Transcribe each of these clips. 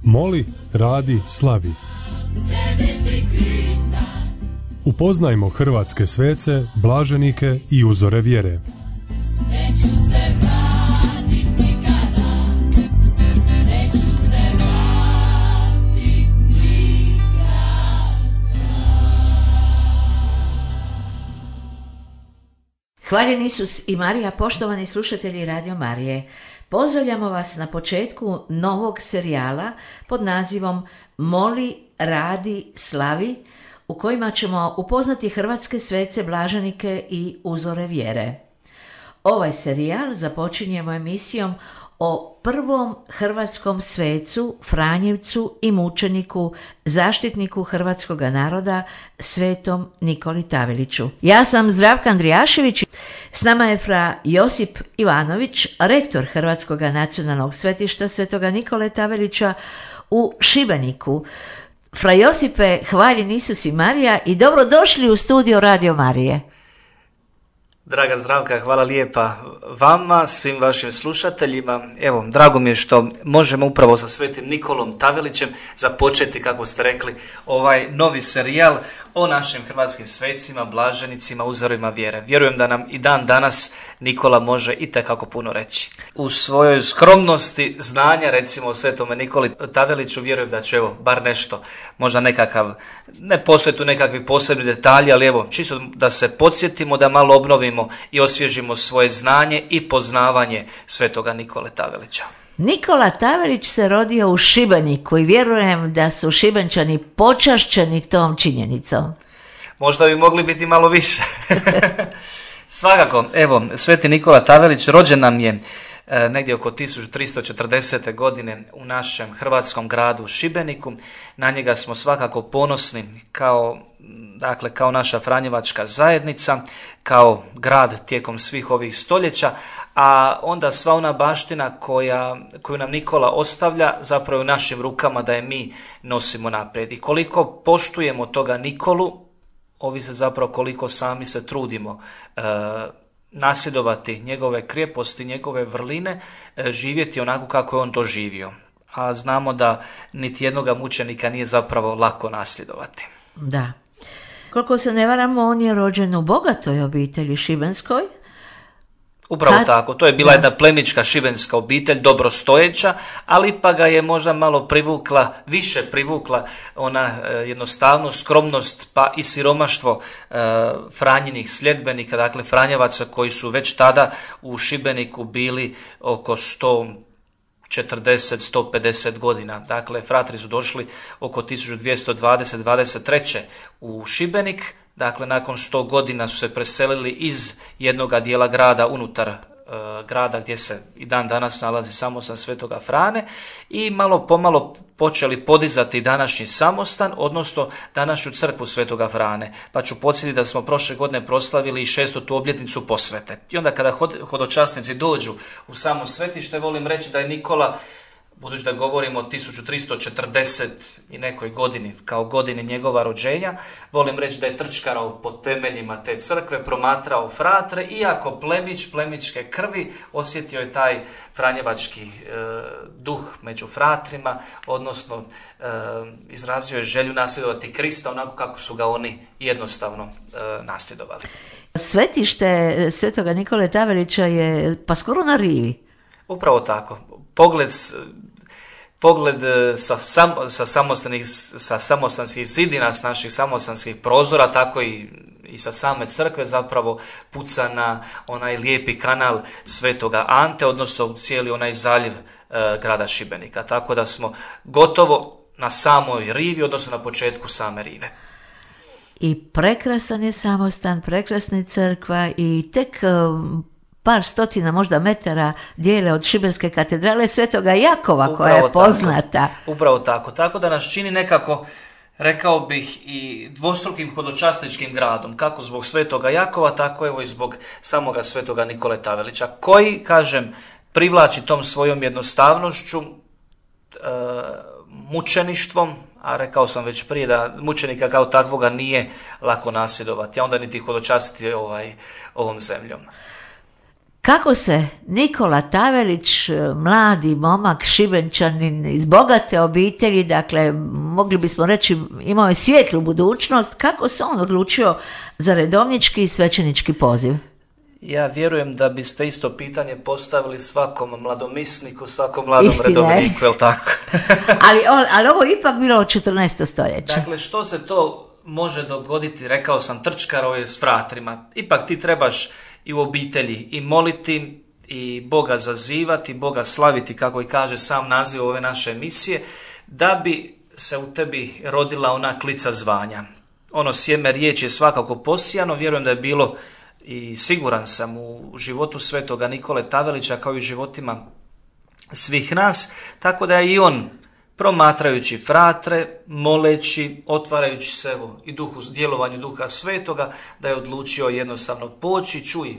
Moli, radi, slavi. Upoznajmo hrvatske svece, blaženike i uzore vjere. Hvaljen Isus i Marija, poštovani slušatelji Radio Marije. Pozdravljamo vas na početku novog serijala pod nazivom Moli, radi, slavi, u kojima ćemo upoznati hrvatske svece, blaženike i uzore vjere. Ovaj serijal započinjemo emisijom o prvom hrvatskom svecu, Franjevcu i mučeniku, zaštitniku hrvatskog naroda, svetom Nikoli Taveliću. Ja sam Zdravka Andrijašević, s nama je fra Josip Ivanović, rektor Hrvatskog nacionalnog svetišta svetoga Nikole Tavelića u Šibeniku. Fra Josipe, hvaljen Isus i Marija i dobrodošli u studio Radio Marije. Draga Zdravka, hvala lijepa vama, svim vašim slušateljima. Evo, drago mi je što možemo upravo sa svetim Nikolom Tavelićem započeti, kako ste rekli, ovaj novi serijal o našim hrvatskim svecima, blaženicima, uzorima vjere. Vjerujem da nam i dan danas Nikola može itekako puno reći. U svojoj skromnosti znanja, recimo o svetome Nikoli Taveliću, vjerujem da će, evo, bar nešto, možda nekakav, ne postoje tu nekakvi posebni detalji, ali evo, čisto da se podsjetimo, da malo obnovimo i osvježimo svoje znanje i poznavanje svetoga Nikole Tavelića. Nikola Tavelić se rodio u Šibeniku i vjerujem da su Šibenčani počašćeni tom činjenicom. Možda bi mogli biti malo više. Svakako, evo, sveti Nikola Tavelić rođen nam je negdje oko 1340. godine u našem hrvatskom gradu Šibeniku. Na njega smo svakako ponosni kao naša franjevačka zajednica, kao grad tijekom svih ovih stoljeća, a onda sva ona baština koju nam Nikola ostavlja zapravo u našim rukama da je mi nosimo naprijed. I koliko poštujemo toga Nikolu, ovisi zapravo koliko sami se trudimo nasljedovati njegove krijeposti, njegove vrline, živjeti onako kako je on to živio. A znamo da niti jednoga mučenika nije zapravo lako nasljedovati. Da. Koliko se ne varamo, on je rođen u bogatoj obitelji šibenskoj. Upravo tako, to je bila jedna plemićka šibenska obitelj, dobrostojeća, ali pa ga je možda malo više privukla ona jednostavnost, skromnost, pa i siromaštvo Franjinih sljedbenika, dakle Franjevaca koji su već tada u Šibeniku bili oko 140-150 godina. Dakle, fratri su došli oko 1220-23. u Šibenik. Dakle, nakon 100 godina su se preselili iz jednoga dijela grada unutar grada gdje se i dan danas nalazi samostan Svetoga Frane i malo pomalo počeli podizati današnji samostan, odnosno današnju crkvu Svetoga Frane. Pa ću podsjetiti da smo prošle godine proslavili i 600. obljetnicu posvete. I onda kada hodočasnici dođu u samo svetište, volim reći da je Nikola, budući da govorimo o 1340 i nekoj godini, kao godini njegova rođenja, volim reći da je trčkarao po temeljima te crkve, promatrao fratre, iako plemićke krvi, osjetio je taj franjevački duh među fratrima, odnosno izrazio je želju nasljedovati Krista onako kako su ga oni jednostavno nasljedovali. Svetište svetoga Nikole Tavelića je pa skoro na rivi. Upravo tako. Pogled sa samostanskih zidina, s naših samostanskih prozora, tako i sa same crkve zapravo puca na onaj lijepi kanal Svetoga Ante, odnosno cijeli onaj zaljev grada Šibenika. Tako da smo gotovo na samoj rivi, odnosno na početku same rive. I prekrasan je samostan, prekrasna je crkva i tek par stotina možda metara dijele od Šibenske katedrale Svetoga Jakova, upravo koja je poznata. Upravo tako. Tako da nas čini nekako, rekao bih, i dvostrukim hodočasničkim gradom, kako zbog Svetoga Jakova, tako evo i zbog samoga Svetoga Nikole Tavelića, koji, kažem, privlači tom svojom jednostavnošću, mučeništvom, a rekao sam već prije da mučenika kao takvoga nije lako nasljedovati, a onda niti hodočastiti ovom zemljom. kako se Nikola Tavelić, mladi momak, Šibenčanin iz bogate obitelji, dakle mogli bismo reći imao je svijetlu budućnost, kako se on odlučio za redovnički i svećenički poziv? Ja vjerujem da biste isto pitanje postavili svakom mladomisniku, svakom mladom redovniku, je li tako? ali ovo je ipak bilo od 14. stoljeća. Dakle, što se to može dogoditi, rekao sam, trčkaro je s fratrima. Ipak ti trebaš i u obitelji i moliti, i Boga zazivati, Boga slaviti, kako i kaže sam naziv ove naše emisije, da bi se u tebi rodila ona klica zvanja. Ono sjeme riječi je svakako posijano, vjerujem da je bilo i siguran sam u životu svetoga Nikole Tavelića kao i u životima svih nas, tako da je i on promatrajući fratre, moleći, otvarajući se i djelovanju Duha Svetoga, da je odlučio jednostavno poći, čuj,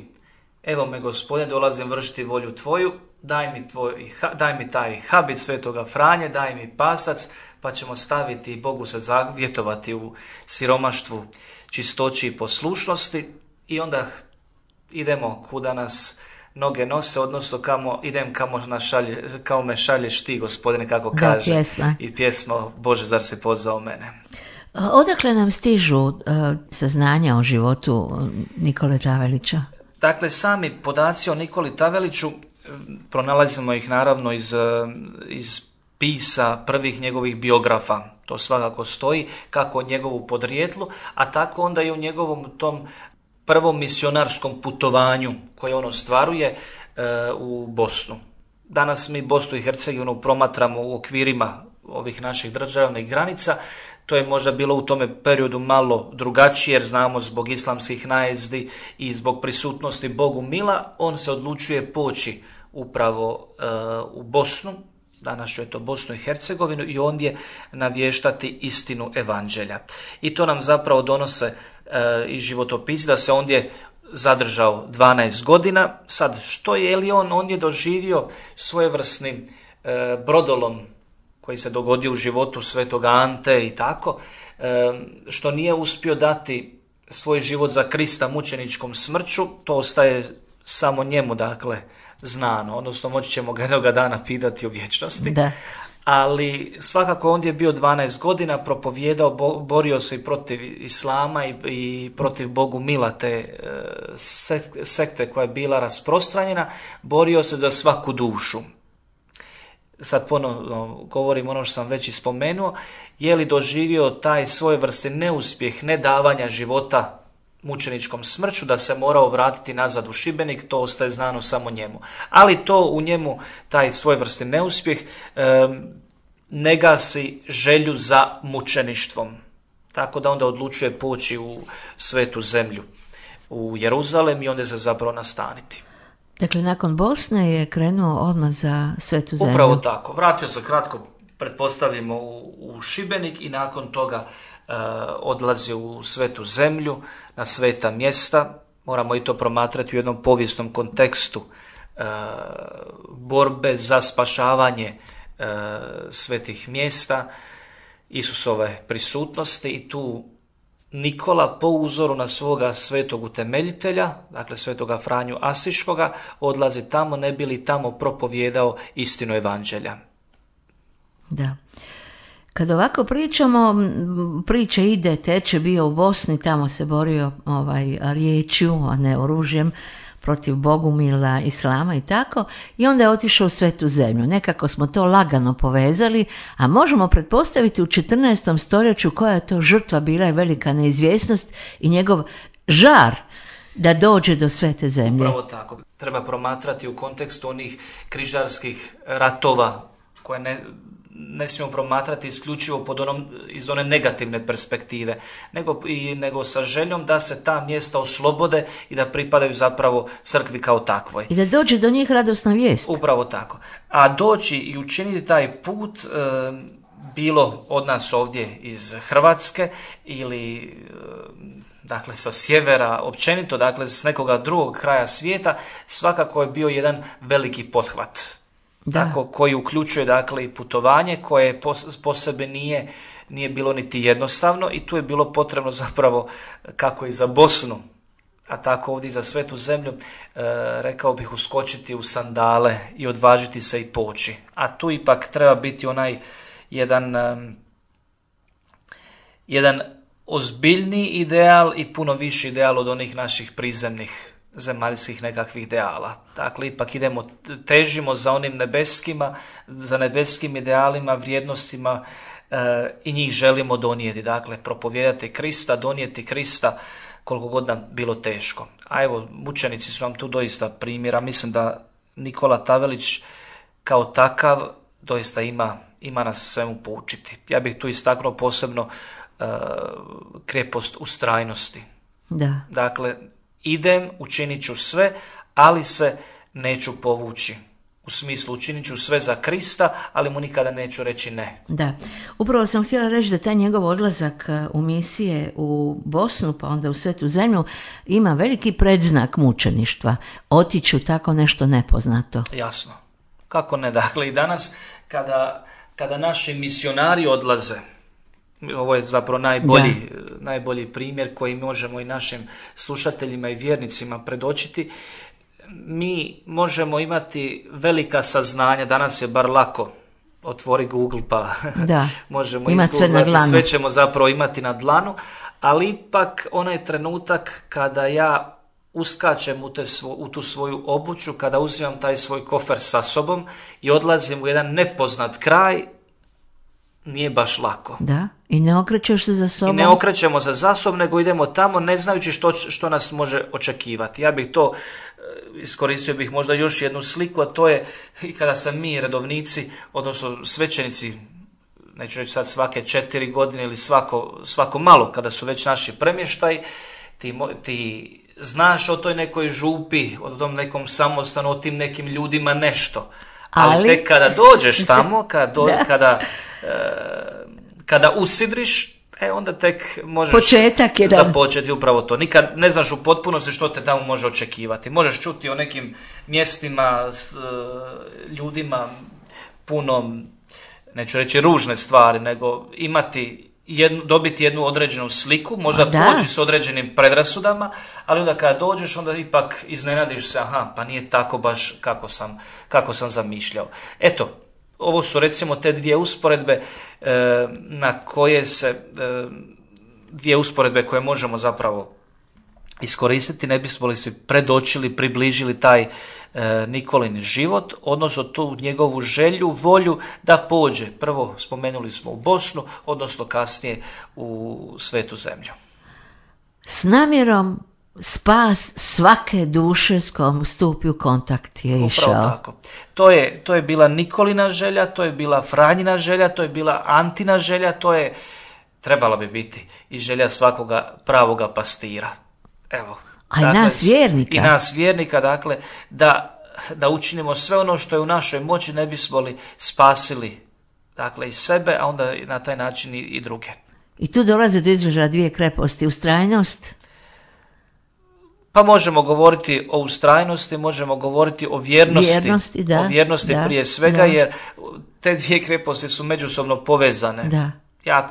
evo me Gospodine, dolazim vršiti volju tvoju, daj mi taj habit Svetoga Franje, daj mi pasac, pa ćemo staviti i Bogu se zavjetovati u siromaštvu, čistoći i poslušnosti i onda idemo kuda nas noge nose, odnosno kamo me šalješ ti, Gospodine, kako kaže. Pjesma. I pjesma Bože, zar si pozvao mene. Odakle nam stižu saznanja o životu Nikole Tavelića? Dakle, sami podaci o Nikoli Taveliću pronalazimo ih naravno iz pisa prvih njegovih biografa. To svakako stoji, kako o njegovu podrijetlu, a tako onda i o njegovom tom prvom misionarskom putovanju koje on ostvaruje u Bosnu. Danas mi Bosnu i Hercegovinu promatramo u okvirima ovih naših državnih granica. To je možda bilo u tome periodu malo drugačije, jer znamo zbog islamskih najezdi i zbog prisutnosti Bogu mila, on se odlučuje poći upravo u Bosnu, danas je to Bosnu i Hercegovinu, i ondje navještati istinu evanđelja. I to nam zapravo donose i životopisi da se ondje zadržao 12 godina. Sad, što je li on je doživio svojevrsni brodolom koji se dogodio u životu svetoga Ante i tako, što nije uspio dati svoj život za Krista mučeničkom smrću, to ostaje samo njemu, dakle, znano, odnosno moći ćemo ga jednoga dana pitati u vječnosti. Da. Ali svakako on je bio 12 godina, propovijedao, borio se i protiv islama i protiv Bogu mila, te sekte koja je bila rasprostranjena, borio se za svaku dušu. Sad ponovno govorim ono što sam već ispomenuo, je li doživio taj svojevrsni neuspjeh nedavanja života mučeničkom smrću, da se morao vratiti nazad u Šibenik, to ostaje znano samo njemu. Ali to u njemu, taj svojevrsni neuspjeh, ne gasi želju za mučeništvom. Tako da onda odlučuje poći u svetu zemlju, u Jeruzalem, i onda se zapravo nastaniti. Dakle, nakon Bosne je krenuo odmah za svetu zemlju. Upravo tako. Vratio se kratko, pretpostavimo, u Šibenik i nakon toga odlazi u svetu zemlju, na sveta mjesta. Moramo i to promatrati u jednom povijesnom kontekstu borbe za spašavanje svetih mjesta, Isusove prisutnosti, i tu Nikola po uzoru na svoga svetog utemeljitelja, dakle svetoga Franju Asiškoga, odlazi tamo ne bi li tamo propovijedao istinu evanđelja. Da. Kad ovako pričamo, priča ide, teče, bio u Bosni, tamo se borio riječju, a ne oružjem, protiv Bogumila, islama i tako, i onda je otišao u svetu zemlju. Nekako smo to lagano povezali, a možemo pretpostaviti u 14. stoljeću koja je to žrtva bila, je velika neizvjesnost i njegov žar da dođe do svete zemlje. Upravo tako. Treba promatrati u kontekstu onih križarskih ratova koje ne smijemo promatrati isključivo iz one negativne perspektive, nego sa željom da se ta mjesta oslobode i da pripadaju zapravo crkvi kao takvoj. I da dođe do njih radosna vijest. Upravo tako. A doći i učiniti taj put, bilo od nas ovdje iz Hrvatske ili dakle sa sjevera općenito, dakle s nekoga drugog kraja svijeta, svakako je bio jedan veliki pothvat. Tako, koji uključuje dakle i putovanje koje po sebi nije bilo niti jednostavno, i tu je bilo potrebno zapravo, kako i za Bosnu, a tako ovdje za Svetu zemlju, rekao bih uskočiti u sandale i odvažiti se i poći. A tu ipak treba biti onaj jedan ozbiljni ideal i puno viši ideal od onih naših prizemnih zemaljskih nekakvih ideala. Dakle, ipak težimo za onim nebeskima, za nebeskim idealima, vrijednostima i njih želimo donijeti. Dakle, propovijedati Krista, donijeti Krista koliko god nam bilo teško. A evo, mučenici su nam tu doista primjera. Mislim da Nikola Tavelić kao takav doista ima nas svemu poučiti. Ja bih tu istaknuo posebno krepost ustrajnosti. Da. Dakle, idem, učinit ću sve, ali se neću povući. U smislu, učinit ću sve za Krista, ali mu nikada neću reći ne. Da, upravo sam htjela reći da taj njegov odlazak u misije u Bosnu, pa onda u Svetu zemlju, ima veliki predznak mučeništva. Otići u tako nešto nepoznato. Jasno. Kako ne? Dakle, i danas kada naši misionari odlaze, ovo je zapravo najbolji primjer koji možemo i našim slušateljima i vjernicima predočiti. Mi možemo imati velika saznanja, danas je bar lako, otvori Google pa možemo izgooglati, sve ćemo zapravo imati na dlanu, ali ipak onaj trenutak kada ja uskačem u tu svoju obuću, kada uzimam taj svoj kofer sa sobom i odlazim u jedan nepoznat kraj, nije baš lako. Da, i ne okrećeš se za sobom. I ne okrećemo se za sobom, nego idemo tamo ne znajući što nas može očekivati. Ja bih to iskoristio bih možda još jednu sliku, a to je i kada se mi redovnici, odnosno svećenici, neću reći sad svake 4 godine ili svako malo, kada su već naši premještaj, ti znaš o toj nekoj župi, o tom nekom samostanu, o tim nekim ljudima nešto. Ali tek kada dođeš tamo, kada usidriš, onda tek možeš započeti upravo to. Nikad ne znaš u potpunosti što te tamo može očekivati. Možeš čuti o nekim mjestima s ljudima puno, neću reći ružne stvari, nego dobiti jednu određenu sliku, možda poći s određenim predrasudama, ali onda kada dođeš, onda ipak iznenadiš se, pa nije tako baš kako sam zamišljao. Eto, ovo su recimo te dvije usporedbe dvije usporedbe koje možemo zapravo iskoristiti, ne bismo li si predočili, približili taj Nikolin život, odnosno tu njegovu želju, volju da pođe. Prvo spomenuli smo u Bosnu, odnosno kasnije u Svetu zemlju. S namjerom spas svake duše s kojom stupi u kontakt je išao. Upravo tako. To je bila Nikolina želja, to je bila Franjina želja, to je bila Antina želja, trebala bi biti i želja svakoga pravoga pastira. Evo. A dakle, i nas vjernika, dakle, da učinimo sve ono što je u našoj moći, ne bismo li spasili, dakle, i sebe, a onda na taj način i druge. I tu dolaze do izražaja dvije kreposti, ustrajnost. Pa možemo govoriti o ustrajnosti, možemo govoriti o vjernosti. O vjernosti prije svega, jer te dvije kreposti su međusobno povezane. Da. Ja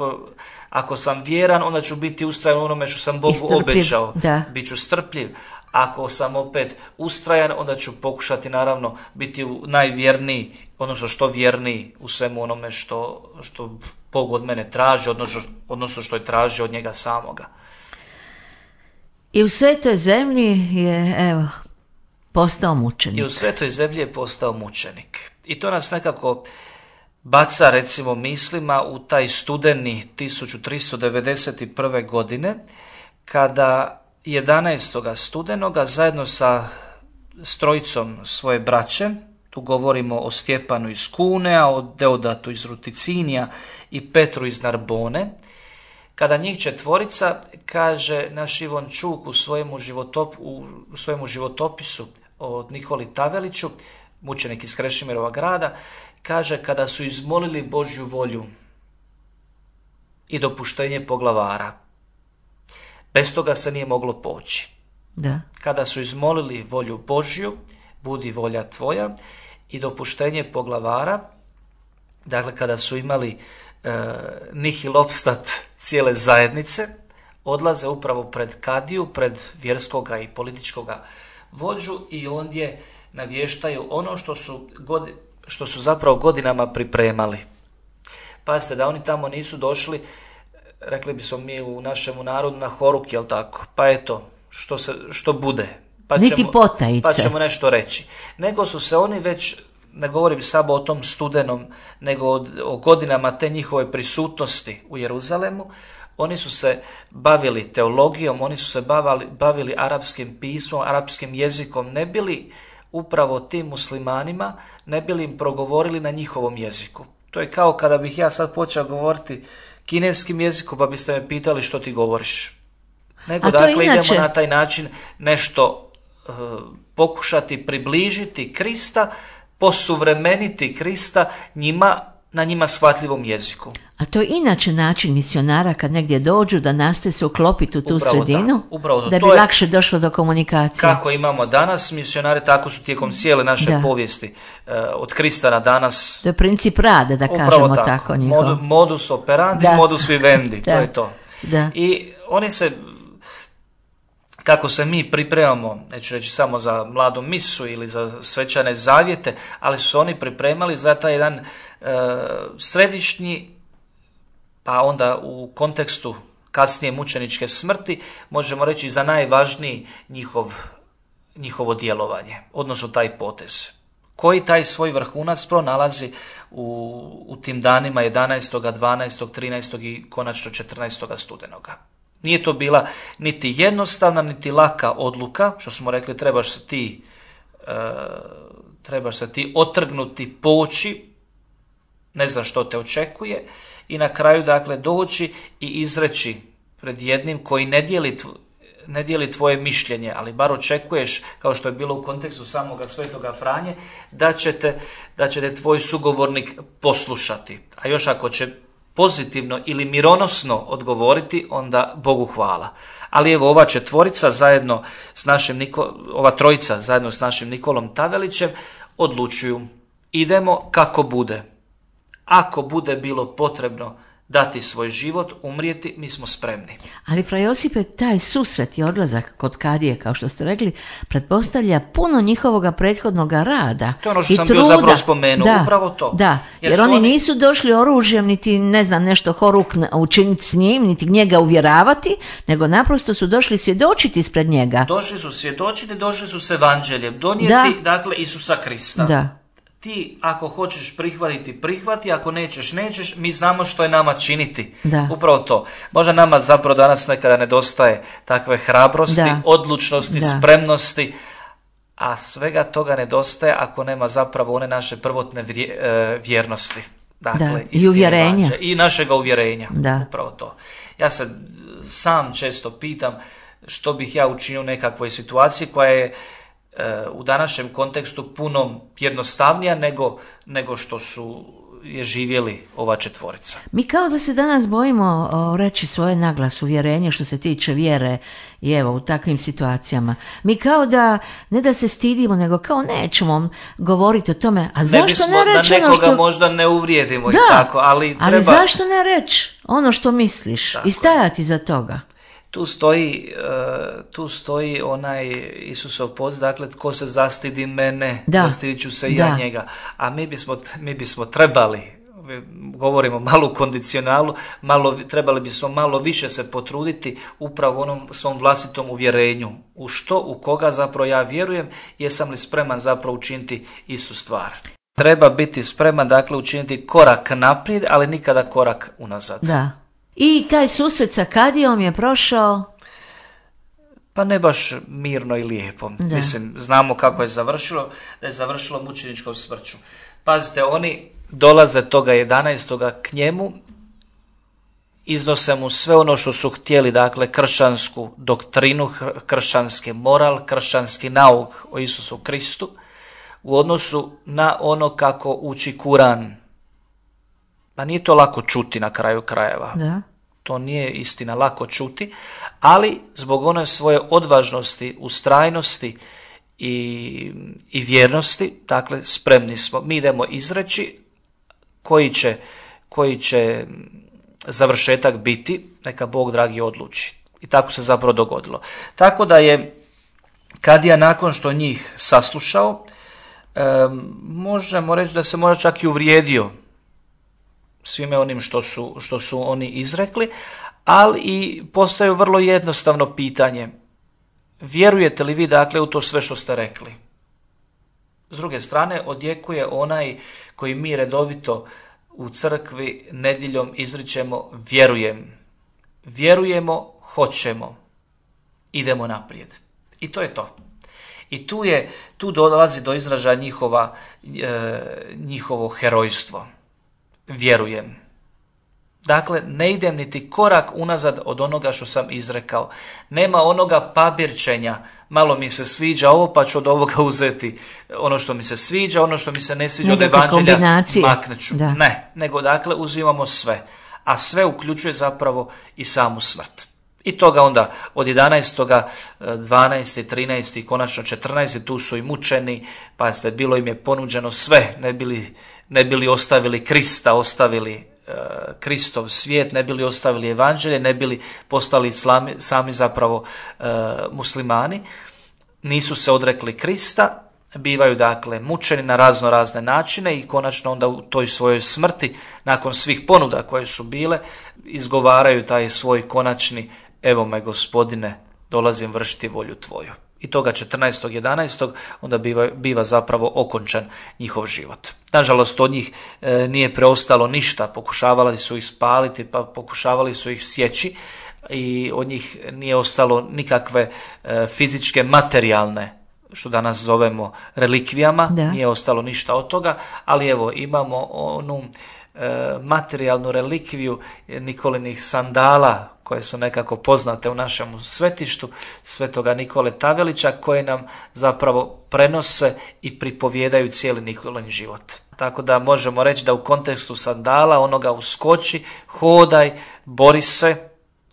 ako sam vjeran, onda ću biti ustrajan u onome što sam Bogu obećao. Bit ću strpljiv. Ako sam opet ustrajan, onda ću pokušati naravno biti najvjerniji, odnosno što vjerniji u svemu onome što Bog od mene traži, odnosno što je tražio od njega samoga. I u Svetoj zemlji je, postao mučenik. I u Svetoj zemlji je postao mučenik. I to nas nekako baca, recimo, mislima u taj studeni 1391. godine, kada 11. studenoga zajedno sa strojicom svoje braće, tu govorimo o Stjepanu iz Cunea, o Deodatu iz Ruticinija i Petru iz Narbone, kada njih četvorica, kaže naš Ivon Čuk u svojemu životopisu od Nikoli Taveliću, mučenik iz Krešimirova grada, kaže kada su izmolili Božju volju i dopuštenje poglavara. Bez toga se nije moglo poći. Da. Kada su izmolili volju Božju, budi volja tvoja, i dopuštenje poglavara, dakle kada su imali nihil opstat cijele zajednice, odlaze upravo pred kadiju, pred vjerskoga i političkoga vođu i ondje navještaju ono što su zapravo godinama pripremali. Pazite, da oni tamo nisu došli, rekli bismo mi u našemu narodu, na horuk, jel tako? Pa eto, što bude. Niti potajice. Pa ćemo nešto reći. Nego su se oni već, ne govorim samo o tom studenom, nego o godinama te njihove prisutnosti u Jeruzalemu, oni su se bavili teologijom, oni su se bavili arapskim pismom, arapskim jezikom, ne bili upravo tim muslimanima, ne bili im progovorili na njihovom jeziku. To je kao kada bih ja sad počeo govoriti kineskim jezikom, pa biste me pitali što ti govoriš. Nego dakle idemo na taj način nešto pokušati približiti Krista, posuvremeniti Krista na njima shvatljivom jeziku. A to je inače način misionara kad negdje dođu da nastoje se uklopiti u tu sredinu, da bi lakše došlo do komunikacije. Kako imamo danas misionare, tako su tijekom cijele naše povijesti od Krista na danas. To je princip rada, da kažemo tako njihov. Modus operandi, modus vivendi, to je to. Da. I oni se, kako se mi pripremamo, neću reći samo za mladu misu ili za svečane zavjete, ali su oni pripremali za taj jedan središnji, pa onda u kontekstu kasnije mučeničke smrti, možemo reći za najvažniji njihovo djelovanje, odnosno taj potez, koji taj svoj vrhunac pronalazi u tim danima 11., 12., 13. i konačno 14. studenoga. Nije to bila niti jednostavna, niti laka odluka, što smo rekli, trebaš se ti otrgnuti, poći, ne znaš što te očekuje, i na kraju dakle doći i izreći pred jednim koji ne dijeli tvoje mišljenje, ali bar očekuješ, kao što je bilo u kontekstu samoga svetoga Franje, da će te tvoj sugovornik poslušati. A još ako će pozitivno ili mironosno odgovoriti, onda Bogu hvala. Ali evo ova četvorica zajedno s ova trojica zajedno s našim Nikolom Tavelićem odlučuju, idemo kako bude. Ako bude bilo potrebno dati svoj život, umrijeti, mi smo spremni. Ali fra Josipe, taj susret i odlazak kod kadije, kao što ste rekli, pretpostavlja puno njihovoga prethodnog rada. To je ono što sam bio zapravo spomenuo, upravo to. Da, jer oni nisu došli oružjem, niti ne znam nešto horuk učiniti s njim, niti njega uvjeravati, nego naprosto su došli svjedočiti ispred njega. Došli su svjedočiti, došli su s evanđeljem, donijeti dakle Isusa Krista. Da. Ti ako hoćeš prihvati, ako nećeš, mi znamo što je nama činiti. Da. Upravo to. Možda nama zapravo danas nekada nedostaje takve hrabrosti, odlučnosti, spremnosti, a svega toga nedostaje ako nema zapravo one naše prvotne vjernosti. Dakle, i uvjerenja. I našega uvjerenja. Da. Upravo to. Ja se sam često pitam što bih ja učinio u nekakvoj situaciji koja je u današnjem kontekstu puno jednostavnija nego što je živjeli ova četvorica. Mi kao da se danas bojimo reći svoje naglas uvjerenje što se tiče vjere i evo u takvim situacijama. Mi kao da, ne da se stidimo, nego kao nećemo govoriti o tome, a zašto ne reći da nekoga možda ne uvrijedimo i tako, ali treba... Ali zašto ne reći ono što misliš tako i stajati za toga? Tu stoji onaj Isusov poziv, dakle, tko se zastidi mene, zastidit ću se i ja njega. A mi bismo trebali, govorimo malo u kondicionalu, trebali bismo malo više se potruditi upravo onom svom vlastitom uvjerenju. U koga zapravo ja vjerujem, jesam li spreman zapravo učiniti istu stvar. Treba biti spreman, dakle, učiniti korak naprijed, ali nikada korak unazad. Da. I taj susret sa kadijom je prošao? Pa ne baš mirno i lijepo. Da. Mislim, znamo kako je završilo, da je završilo mučeničkom smrću. Pazite, oni dolaze toga 11. k njemu, iznose mu sve ono što su htjeli, dakle, kršćansku doktrinu, kršćanski moral, kršćanski nauk o Isusu Kristu, u odnosu na ono kako uči Kuran. Pa nije to lako čuti na kraju krajeva. Da. To nije istina lako čuti, ali zbog one svoje odvažnosti, ustrajnosti i vjernosti, dakle, spremni smo. Mi idemo izreći koji će završetak biti, neka Bog dragi odluči. I tako se zapravo dogodilo. Tako da je kadija nakon što njih saslušao, možemo reći da se možda čak i uvrijedio svime onim što su oni izrekli, ali i postavio vrlo jednostavno pitanje. Vjerujete li vi dakle u to sve što ste rekli? S druge strane, odjekuje onaj koji mi redovito u crkvi nedjeljom izričemo vjerujem. Vjerujemo, hoćemo. Idemo naprijed. I to je to. I tu dolazi do izražaja njihovo herojstvo. Vjerujem. Dakle, ne idem niti korak unazad od onoga što sam izrekao. Nema onoga pabirčenja, malo mi se sviđa ovo pa ću od ovoga uzeti ono što mi se sviđa, ono što mi se ne sviđa od evanđelja maknut ću. Ne, nego dakle uzimamo sve. A sve uključuje zapravo i samu smrt. I toga onda od 11. 12. 13. i konačno 14. tu su i mučeni, pa bilo im je ponuđeno sve, ne bili ostavili Krista, ostavili Kristov svijet, ne bili ostavili evanđelje, ne bili postali sami zapravo muslimani, nisu se odrekli Krista, bivaju dakle mučeni na razne načine i konačno onda u toj svojoj smrti, nakon svih ponuda koje su bile, izgovaraju taj svoj konačni evo me Gospodine, dolazim vršiti volju tvoju. I toga 14.11. onda biva zapravo okončan njihov život. Nažalost, od njih nije preostalo ništa, pokušavali su ih spaliti, pa pokušavali su ih sjeći i od njih nije ostalo nikakve fizičke, materijalne, što danas zovemo relikvijama, nije ostalo ništa od toga, ali evo imamo onu materijalnu relikviju Nikolinih sandala koje su nekako poznate u našem svetištu svetoga Nikole Tavelića, koje nam zapravo prenose i pripovijedaju cijeli Nikolin život. Tako da možemo reći da u kontekstu sandala onoga uskoči, hodaj, bori se,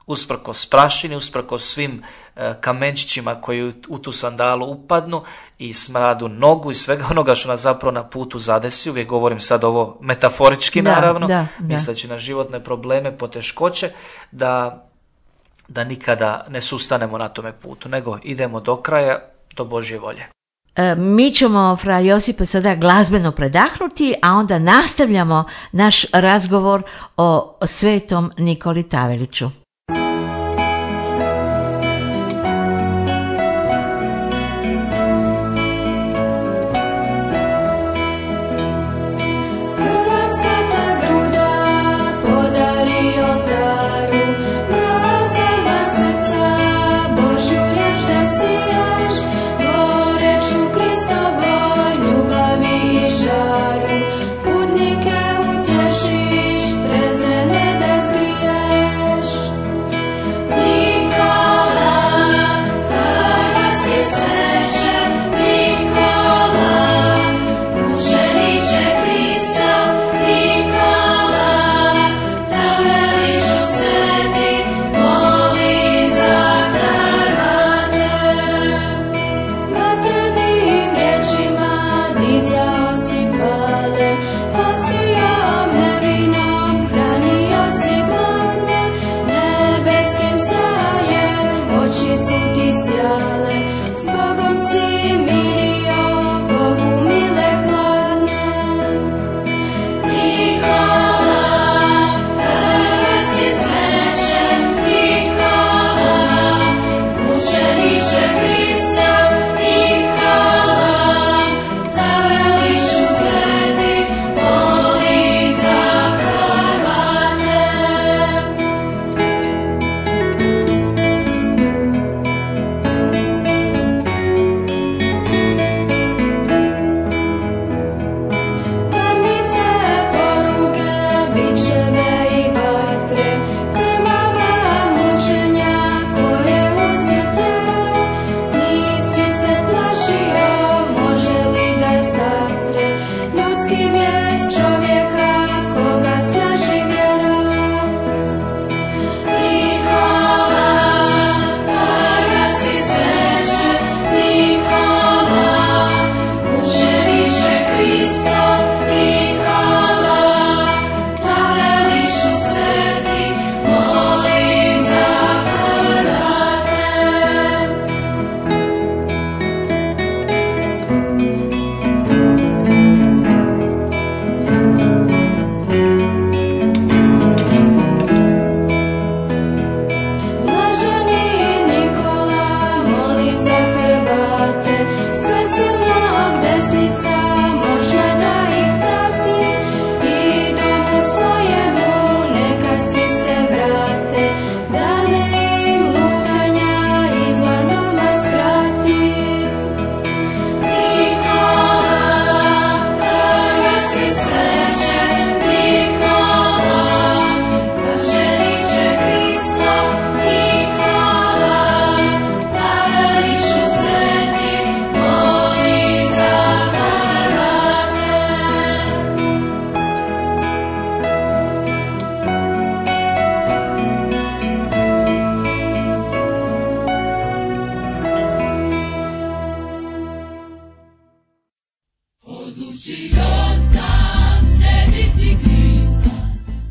usprkos prašini, usprkos svim kamenčićima koji u tu sandalu upadnu i smradu nogu i svega onoga što nas zapravo na putu zadesi. Uvijek govorim sad ovo metaforički naravno, misleći na životne probleme, poteškoće, da nikada ne sustanemo na tome putu, nego idemo do kraja, do Božje volje. Mi ćemo, fra Josipa, sada glazbeno predahnuti, a onda nastavljamo naš razgovor o svetom Nikoli Taveliću. Putnike utješiš, prezrene da zgriješ.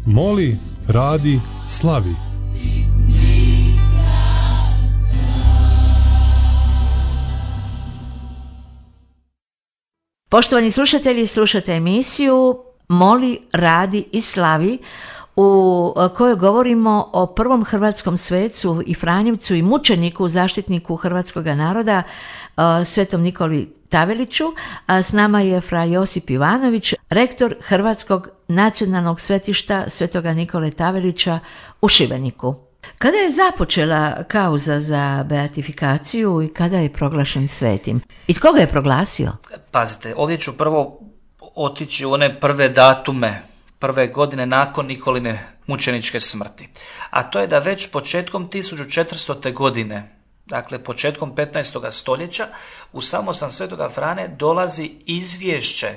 Moli, radi, slavi. Poštovani slušatelji, slušate emisiju Moli, radi i slavi, u kojoj govorimo o prvom hrvatskom svecu i franjevcu i mučeniku, zaštitniku hrvatskog naroda, svetom Nikoli Taveliću. A s nama je fra Josip Ivanović, rektor Hrvatskog nacionalnog svetišta svetoga Nikole Tavelića u Šibeniku. Kada je započela kauza za beatifikaciju i kada je proglašen svetim? I tko ga je proglasio? Pazite, ovdje ću prvo otići u one prve datume, prve godine nakon Nikoline mučeničke smrti. A to je da već početkom 1400. godine, dakle početkom 15. stoljeća, u samostan svetoga Frane dolazi izvješće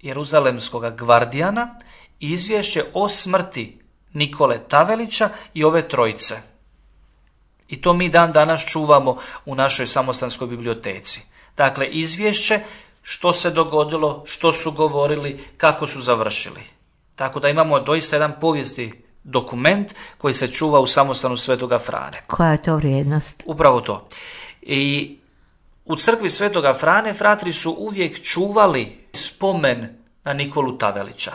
Jeruzalemskog gvardijana, izvješće o smrti Nikole Tavelića i ove trojice. I to mi dan danas čuvamo u našoj samostanskoj biblioteci. Dakle, izvješće što se dogodilo, što su govorili, kako su završili. Tako da imamo doista jedan povijesni dokument koji se čuva u samostanu svetoga Frane. Koja je to vrijednost? Upravo to. I u crkvi svetoga Frane fratri su uvijek čuvali spomen na Nikolu Tavelića.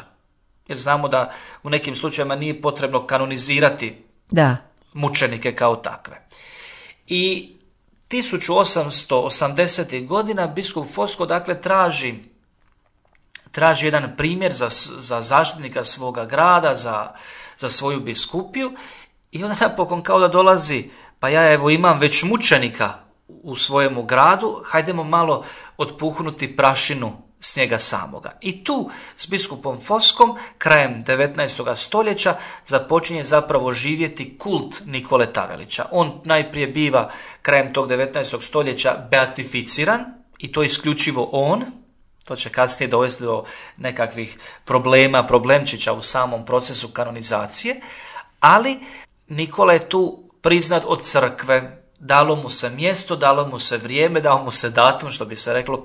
Jer znamo da u nekim slučajevima nije potrebno kanonizirati mučenike kao takve. I 1880. godina biskup Fosko dakle traži jedan primjer za zaštitnika svoga grada, za svoju biskupiju, i onda napokon kao da dolazi, pa ja evo imam već mučenika u svojemu gradu, hajdemo malo otpuhnuti prašinu s njega samoga. I tu s biskupom Foskom krajem 19. stoljeća započinje zapravo živjeti kult Nikole Tavelića. On najprije biva krajem tog 19. stoljeća beatificiran, i to isključivo on. To će kasnije dovesti do nekakvih problemčića u samom procesu kanonizacije, ali Nikola je tu priznat od crkve. Dalo mu se mjesto, dalo mu se vrijeme, dao mu se datum, što bi se reklo,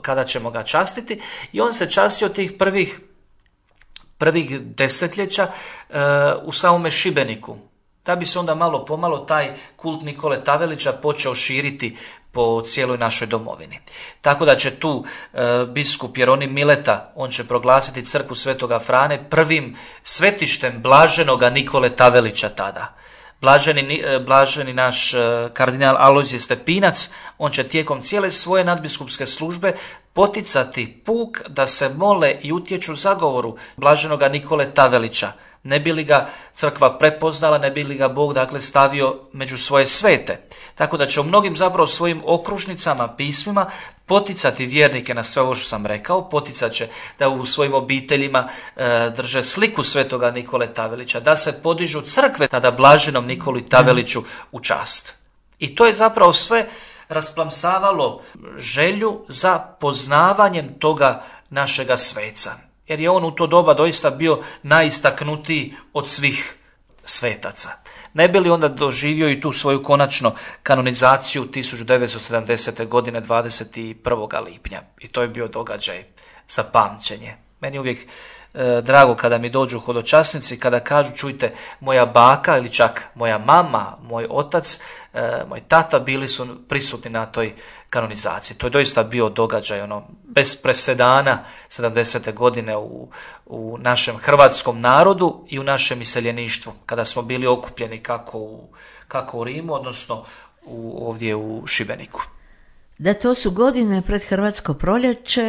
kada ćemo ga častiti, i on se častio tih prvih desetljeća u samome Šibeniku. Da bi se onda malo pomalo taj kult Nikole Tavelića počeo širiti po cijeloj našoj domovini. Tako da će tu biskup Jeronim Mileta, on će proglasiti crkvu svetoga Frane prvim svetištem blaženoga Nikole Tavelića tada. Blaženi naš kardinal Alojzije Stepinac, on će tijekom cijele svoje nadbiskupske službe poticati puk da se mole i utječu zagovoru blaženoga Nikole Tavelića. Ne bi li ga crkva prepoznala, ne bi li ga Bog dakle stavio među svoje svete. Tako da će u mnogim zapravo svojim okružnicama, pismima poticati vjernike na sve ovo što sam rekao, poticat će da u svojim obiteljima drže sliku svetoga Nikole Tavelića, da se podižu crkve tada blaženom Nikoli Taveliću u čast. I to je zapravo sve rasplamsavalo želju za poznavanjem toga našega sveca. Jer je on u to doba doista bio najistaknutiji od svih svetaca. Ne bi li onda doživio i tu svoju konačno kanonizaciju 1970. godine 21. lipnja. I to je bio događaj za pamćenje. Meni je uvijek drago kada mi dođu hodočasnici, kada kažu čujte, moja baka ili čak moja mama, moj otac, moj tata bili su prisutni na toj kanonizaciji. To je doista bio događaj bez presedana 70. godine u našem hrvatskom narodu i u našem iseljeništvu, kada smo bili okupljeni kako u Rimu, odnosno ovdje u Šibeniku. Da, to su godine pred Hrvatsko proljeće,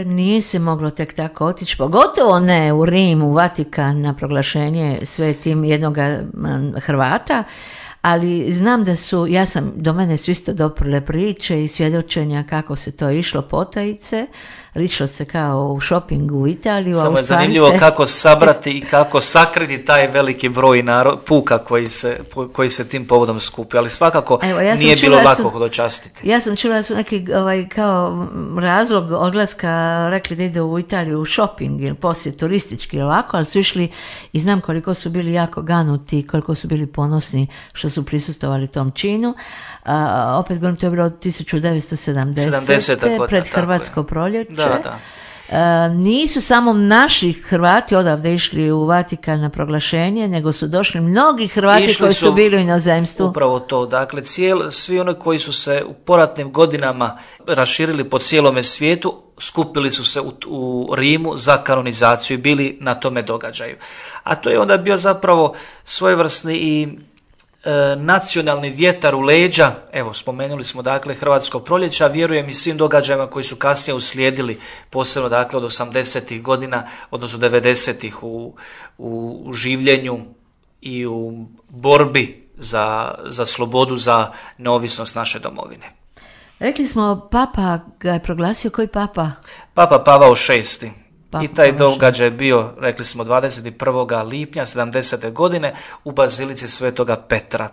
nije se moglo tek tako otići, pogotovo ne u Rim, u Vatikan na proglašenje svetim jednog Hrvata, ali znam da do mene su isto doprle priče i svjedočenja kako se to išlo potajice, išlo se kao u šopingu u Italiju. Samo je zanimljivo kako sabrati i kako sakriti taj veliki broj puka koji se tim povodom skupio, ali svakako nije bilo lako hodočastiti. Ja sam čula da su neki kao razlog odlaska rekli da ide u Italiju u šoping ili posjet turistički ovako, ali su išli i znam koliko su bili jako ganuti, koliko su bili ponosni što su prisustvovali tom činu. Opet govorim, to je bilo 1970. pred Hrvatsko proljeće. Da. Nisu samo naši Hrvati odavde išli u Vatikan na proglašenje, nego su došli mnogi Hrvati koji su bili u inozemstvu. Upravo to, dakle svi oni koji su se u poratnim godinama raširili po cijelome svijetu, skupili su se u Rimu za kanonizaciju i bili na tome događaju. A to je onda bio zapravo svojevrsni i nacionalni vjetar u leđa, evo spomenuli smo dakle Hrvatsko proljeće, a vjerujem i svim događajima koji su kasnije uslijedili, posebno dakle od 80-ih godina, odnosno 90-ih u življenju i u borbi za slobodu, za neovisnost naše domovine. Rekli smo, Papa ga je proglasio, koji Papa? Papa Pavao VI. I taj događaj je bio, rekli smo, 21. lipnja 70. godine u Bazilici Svetoga Petra.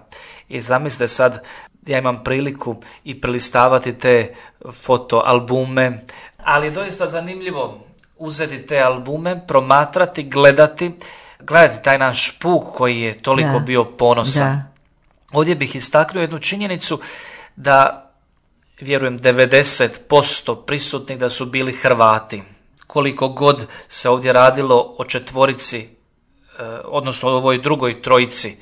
I zamislite sad, ja imam priliku i prelistavati te fotoalbume, ali je doista zanimljivo uzeti te albume, promatrati, gledati taj naš puk koji je toliko bio ponosan. Da. Ovdje bih istaknuo jednu činjenicu da, vjerujem, 90% prisutnih da su bili Hrvati. Koliko god se ovdje radilo o četvorici, odnosno o ovoj drugoj trojici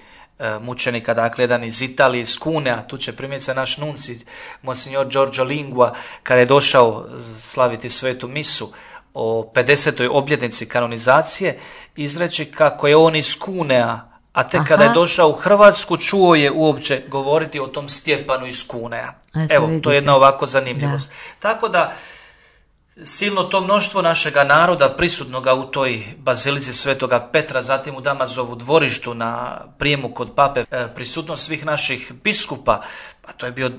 mučenika, dakle jedan iz Italije, iz Cunea, tu će primjerice naš nunci, Monsignor Giorgio Lingua, kada je došao slaviti svetu misu o 50. obljetnici kanonizacije, izreći kako je on iz Cunea, a tek kada je došao u Hrvatsku, čuo je uopće govoriti o tom Stjepanu iz Cunea. Evo, to je jedna ovako zanimljivost. Tako da, silno to mnoštvo našega naroda prisutnoga u toj Bazilici Svetoga Petra, zatim u Damazovu dvorištu na prijemu kod pape, prisutnost svih naših biskupa, a to je bio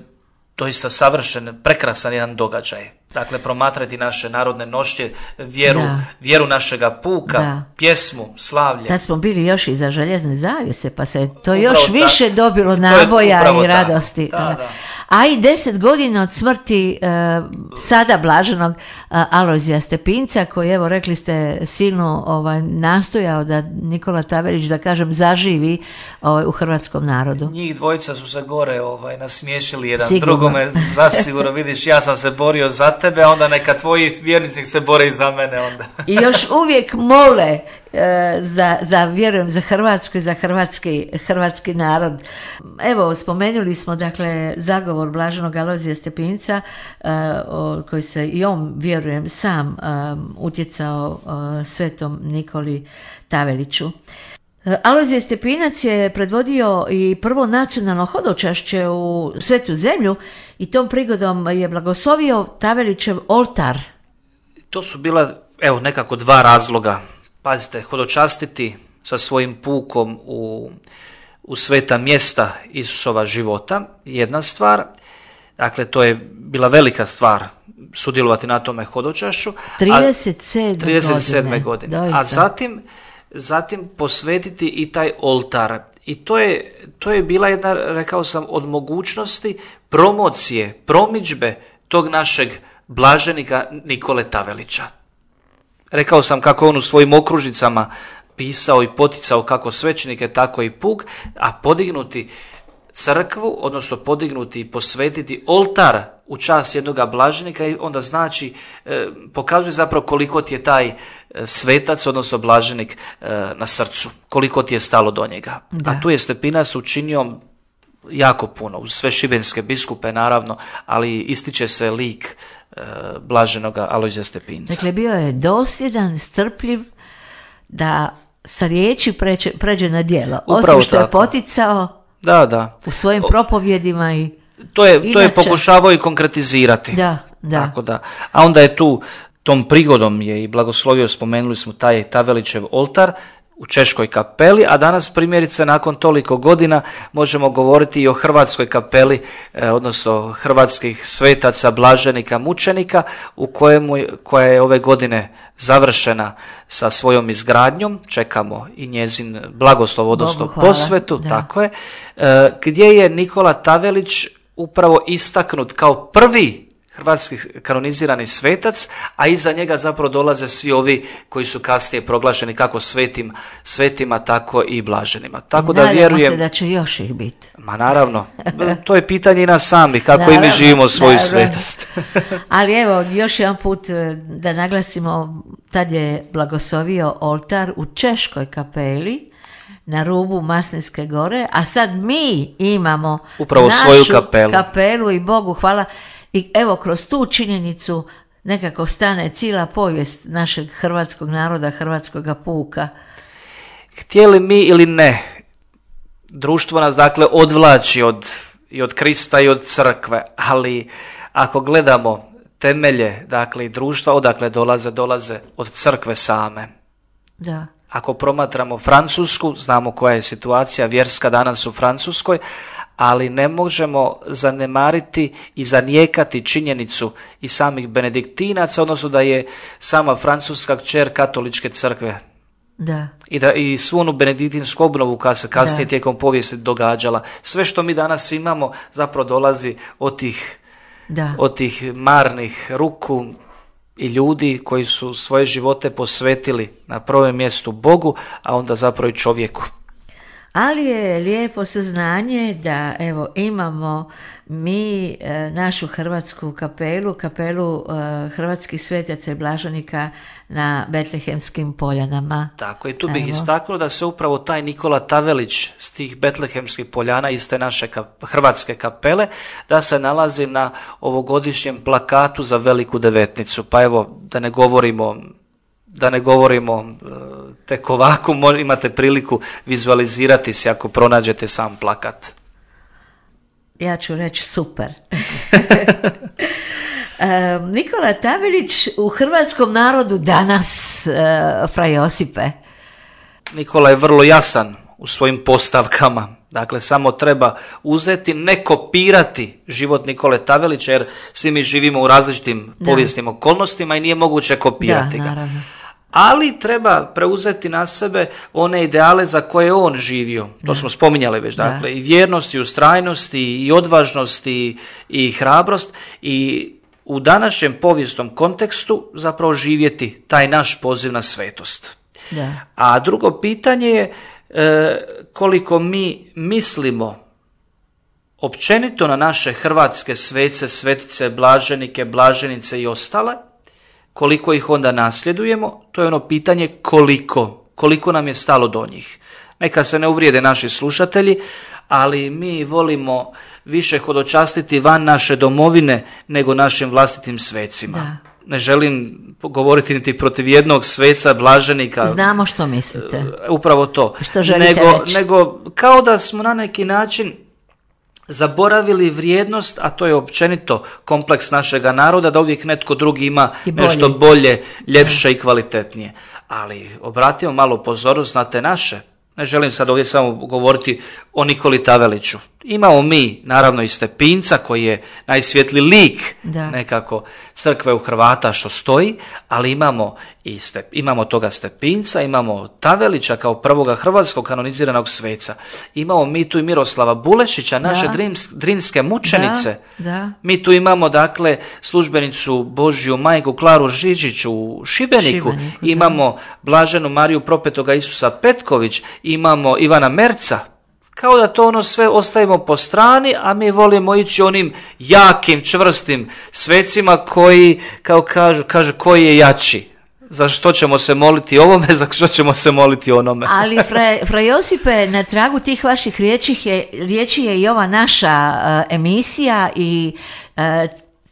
doista savršen, prekrasan jedan događaj. Dakle, promatrati naše narodne nošnje, vjeru našega puka, pjesmu, slavlje. Tad smo bili još iza željezne zavjese, pa se to još više dobilo naboja i radosti. Da. A i 10 godina od smrti sada blaženog Alojzija Stepinca, koji, evo, rekli ste, silno nastojao da Nikola Tavelić, da kažem, zaživi u hrvatskom narodu. Njih dvojica su se gore nasmiješili jedan drugome, zasigurno. Vidiš, ja sam se borio za tebe, a onda neka tvoji vjernici se bore i za mene onda. I još uvijek mole vjerujem, za Hrvatsku i za hrvatski narod. Evo, spomenuli smo, dakle, zagovor blaženog Alojzija Stepinca, koji se i on, vjerujem, sam utjecao svetom Nikoli Taveliću. Alojzije Stepinac je predvodio i prvo nacionalno hodočašće u Svetu zemlju i tom prigodom je blagoslovio Tavelićev oltar. To su bila, evo, nekako dva razloga. Pazite, hodočastiti sa svojim pukom u sveta mjesta Isusova života, jedna stvar. Dakle, to je bila velika stvar sudjelovati na tome hodočašću. 37. godine. A zatim posvetiti i taj oltar. I to je bila jedna, rekao sam, od mogućnosti promocije, promidžbe tog našeg blaženika Nikole Tavelića. Rekao sam kako on u svojim okružnicama pisao i poticao kako svećenike, tako i puk, a podignuti crkvu, odnosno podignuti i posvetiti oltar u čast jednoga blaženika, i onda znači, pokazuje zapravo koliko ti je taj svetac, odnosno blaženik, na srcu, koliko ti je stalo do njega. Da. A tu je Stepinac učinio jako puno, uz sve šibenske biskupe naravno, ali ističe se lik blaženoga Alojzija Stepinca. Dakle, bio je dosljedan, strpljiv, da sa riječi pređe na djelo. Upravo osim što tako je poticao u svojim propovjedima i to je pokušavao i konkretizirati. Da. Tako da. A onda je tom prigodom je i blagoslovio, spomenuli smo taj Tavelićev oltar u Češkoj kapeli, a danas primjerice nakon toliko godina možemo govoriti i o Hrvatskoj kapeli, odnosno hrvatskih svetaca, blaženika, mučenika, koja je ove godine završena sa svojom izgradnjom. Čekamo i njezin blagoslov, odnosno posvetu, tako je, gdje je Nikola Tavelić upravo istaknut kao prvi hrvatski kanonizirani svetac, a iza njega zapravo dolaze svi ovi koji su kasnije proglašeni kako svetima, tako i blaženima. Tako da vjerujem se da će još ih biti. Ma naravno, to je pitanje i nas samih, kako i mi živimo svoju svetost. Ali evo, još jedan put da naglasimo, tad je blagoslovio oltar u Češkoj kapeli, na rubu Maslinske gore, a sad mi imamo upravo našu svoju kapelu i Bogu hvala. I evo, kroz tu činjenicu nekako stane cijela povijest našeg hrvatskog naroda, hrvatskoga puka. Htjeli mi ili ne, društvo nas dakle odvlači i od Krista i od crkve, ali ako gledamo temelje, dakle i društva, odakle dolaze od crkve same. Da. Ako promatramo Francusku, znamo koja je situacija vjerska danas u Francuskoj, ali ne možemo zanemariti i zanijekati činjenicu i samih benediktinaca, odnosno da je sama Francuska kćer katoličke crkve. Da. I svu onu benediktinsku obnovu koja se kasnije tijekom povijesti događala. Sve što mi danas imamo zapravo dolazi od tih marnih ruku i ljudi koji su svoje živote posvetili na prvom mjestu Bogu, a onda zapravo i čovjeku. Ali je lijepo saznanje da evo imamo mi našu hrvatsku kapelu hrvatskih svetaca i blaženika na Betlehemskim poljanama. Tako, i tu bih istaknuo da se upravo taj Nikola Tavelić s tih Betlehemskih poljana iz te naše hrvatske kapele, da se nalazi na ovogodišnjem plakatu za Veliku devetnicu. Pa evo, da ne govorimo tek ovako, imate priliku vizualizirati se ako pronađete sam plakat. Ja ću reći super. Nikola Tavelić u hrvatskom narodu danas, fra Josipe. Nikola je vrlo jasan u svojim postavkama. Dakle, samo treba uzeti, ne kopirati život Nikole Tavelića, jer svi mi živimo u različitim povijesnim okolnostima i nije moguće kopirati ga. Naravno. Ali treba preuzeti na sebe one ideale za koje on živio. To smo spominjali već. Dakle, i vjernost, i ustrajnost, i odvažnost, i hrabrost. I u današnjem povijesnom kontekstu zapravo živjeti taj naš poziv na svetost. Da. A drugo pitanje je koliko mi mislimo općenito na naše hrvatske svece, svetice, blaženike, blaženice i ostale, koliko ih onda nasljedujemo, to je ono pitanje koliko nam je stalo do njih. Neka se ne uvrijede naši slušatelji, ali mi volimo više hodočastiti van naše domovine nego našim vlastitim svecima. Da. Ne želim govoriti niti protiv jednog sveca, blaženika. Znamo što mislite. Upravo to. Što želite reći. Nego kao da smo na neki način zaboravili vrijednost, a to je općenito kompleks našega naroda, da uvijek netko drugi ima nešto bolje, ljepše i kvalitetnije. Ali obratimo malo pozornost na te naše. Ne želim sad ovdje samo govoriti o Nikoli Taveliću. Imamo mi, naravno, i Stepinca koji je najsvjetliji lik nekako crkve u Hrvata što stoji, ali imamo toga Stepinca, imamo Tavelića kao prvoga hrvatskog kanoniziranog sveca. Imamo mi tu i Miroslava Bulešića, naše drinske mučenice. Da. Mi tu imamo, dakle, službenicu Božju majku Klaru Žižić u Šibeniku. Imamo blaženu Mariju Propetoga Isusa Petković, imamo Ivana Merca. Kao da to sve ostavimo po strani, a mi volimo ići onim jakim, čvrstim svecima koji, kao kažu koji je jači. Za što ćemo se moliti ovome, za što ćemo se moliti onome. Ali, fra Josipe, na tragu tih vaših riječi je i ova naša emisija i